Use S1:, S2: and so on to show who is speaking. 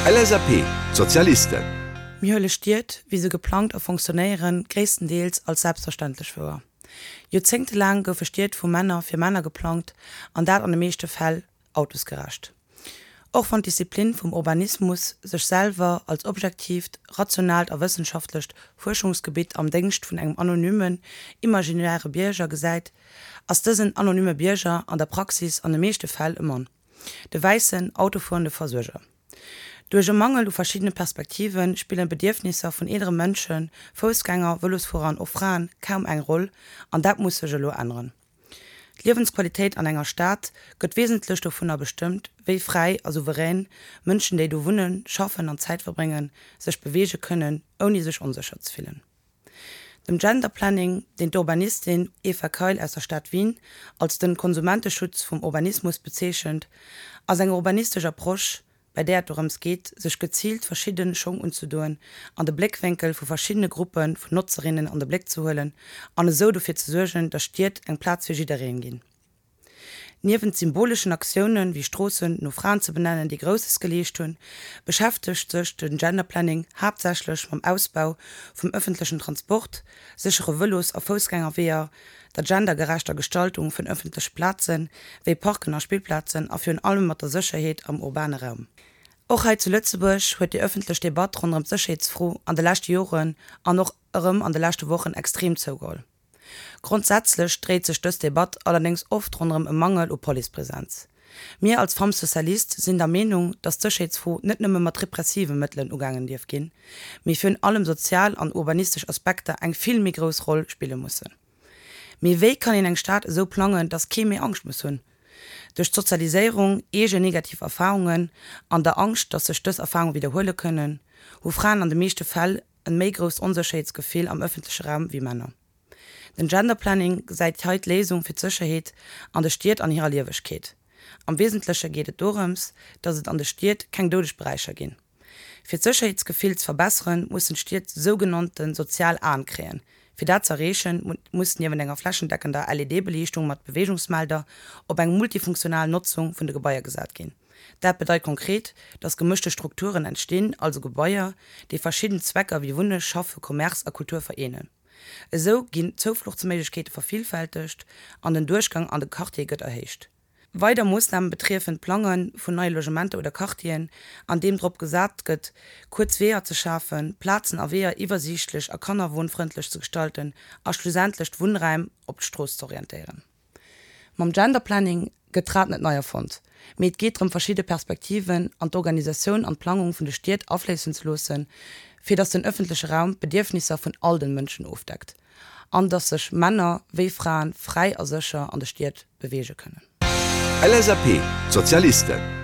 S1: LSAP, D'Sozialisten.
S2: Mir huele Stied, wéi se geplangt a fonctionnéieren, gréisstendeels als selbstverständlech wouer. Joerzéngtelaang goufe Stied vu Männer fir Männer geplangt, an dat an de meeschte Fäll autosgerecht. Och wann d'Disziplin vum Urbanismus sech selwer als objektiivt, rationaalt a wëssenschaftlecht Fuerschungsgebitt am Déngscht vun engem anonymen, imaginäre Bierger gesäit, ass dësen anonyme Bierger an der Praxis an de meeschte Fäll e Mann, de wäissen, autofuerende Versuerger. Duerch e Mangel u verschiddene Perspektive spillen d'Bedierfnisser vun eelere Mënschen, Foussgänger, Vëlosfuerer an och Fraen kaum eng Roll, an dat muss sech elo änneren. D'Liewensqualitéit an enger Stad gëtt wesentlech dovunner bestëmmt, wéi fräi a souverän Mënschen, déi do wunnen, schaffen an Zäit verbréngen, sech beweege kënnen, ouni sech onsécher ze fillen. Dem Gender Planning, deen d'Urbanistin Eva Kail aus der Stad Wien als den Konsumenteschutz vum Urbanismus bezeechent, ass eng urbanistesch Approche, bei där et dorëms geet, sech geziilt verschidde Schong unzedoen an de Bléckwénkel vu verschiddene Gruppe vun Notzerinnen an de Bléck ze huelen an esou dofir ze suergen, datt Stied eng Plaz fir jiddereen ginn. Niewent symboleschen Aktiounen, wéi Stroossen no Fraen ze benennen, déi Grousses geleescht hunn, beschäftegt sech den Gender Planning haaptsächlech mam Ausbau vum ëffentlechen Transport, séchere Vëlos a Foussgängerweeër, der gendergerechter Gestaltung vun ëffentleche Plazen, wéi Parken a Spillplazen a virun allem mat der Sécherheet am urbane Raum. Och hei zu Lëtzebuerg huet déi ëffentlech Debatt ronderëm d'Sécherheetsfro an de leschte Joren an och erëm an de leschte Wochen extrem zougeholl. Grondsätzlech dréit sech dës Debatt allerdéngs oft ronderëm e Mangel u Policepresenz. Mir als Femmes Socialistes sinn der Meenung, dass d'Sécherheetsfro net nëmme mat repressive Mëttelen ugaangen dierf ginn, mee virun allem sozial an urbanistesch Aspekter eng vill méi grouss Roll spille mussen. Mee wéi kann een eng Stad esou plangen, dass kee méi Angscht muss hunn? Duerch d'Sozialiséierung, eegen negativ Erfarungen an der Angscht, dass sech dës Erfarunge widderhuele kënnen, hu Fraen an de meeschte Fäll en méi grousst Onsécherheetsgefill am ëffentleche Raum wéi Männer. Den Gender Planning gesäit hei d'Léisung fir d'Sécherheet an de Stied an hirer Liewegkeet. Am Wesentleche geet et dorëms, datt et an de Stied keng doudeg Beräicher ginn. Fir d'Sécherheetsgefill ze verbesseren, mussen d'Stied sougenannte sozial Aen kréien. Fir dat z'erreechen, muss niewent enger flächendeckender LED-Beliichtung mat Beweegungsmelder op eng multifunktional Notzung vun de Gebaier gesat ginn. Dat bedeit konkret, datt gemëschte Strukturen entstinn, also Gebaier, déi verschidden Zwecker wéi Wunne, Schaffe, Commerce a Kultur vereenen. Esou ginn d'Zoufluchtsméiglechkeete vervillfältegt an den Duerchgang an de Quartier gëtt erhéicht. Weider Moossname betriefen d'Plange vun neie Logementer oder Quartieren, an deem drop gesat gëtt, kuerz Weeër ze schafen, Plazen a Weeër iwwersiichtlech a kannerwunnfrëndlech ze gestalten a schlussendlech d'Wunnräim op d'Strooss z'orientéieren. Mam Gender Planning gëtt d'Rad net nei erfonnt, mee et geet drëm verschidde Perspektiven an d'Organisatioun an d'Plangung vun de Stied afléissen ze loossen, fir datt den ëffentleche Raum d'Bedierfnisser vun all den Mënschen ofdeckt an datt sech Männer wéi Fraen fräi a sécher an de Stied beweege kënnen.
S1: LSAP, D'Sozialisten.